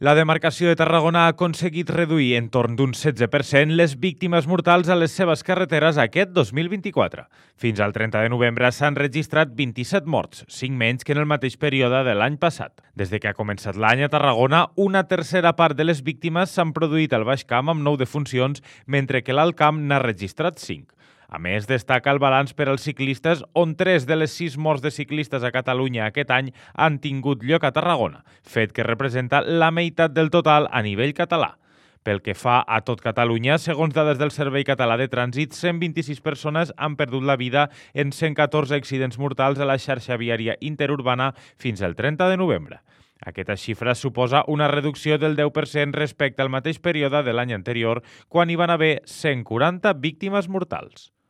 La demarcació de Tarragona ha aconseguit reduir en torn d'un 16% les víctimes mortals a les seves carreteres aquest 2024. Fins al 30 de novembre s'han registrat 27 morts, 5 menys que en el mateix període de l'any passat. Des de que ha començat l'any a Tarragona, una tercera part de les víctimes s'han produït al Baix Camp amb 9 defuncions, mentre que l'Alt Camp n'ha registrat 5. A més, destaca el balanç per als ciclistes, on 3 de les 6 morts de ciclistes a Catalunya aquest any han tingut lloc a Tarragona, fet que representa la meitat del total a nivell català. Pel que fa a tot Catalunya, segons dades del Servei Català de Trànsit, 126 persones han perdut la vida en 114 accidents mortals a la xarxa viària interurbana fins al 30 de novembre. Aquesta xifra suposa una reducció del 10% respecte al mateix període de l'any anterior, quan hi van haver 140 víctimes mortals.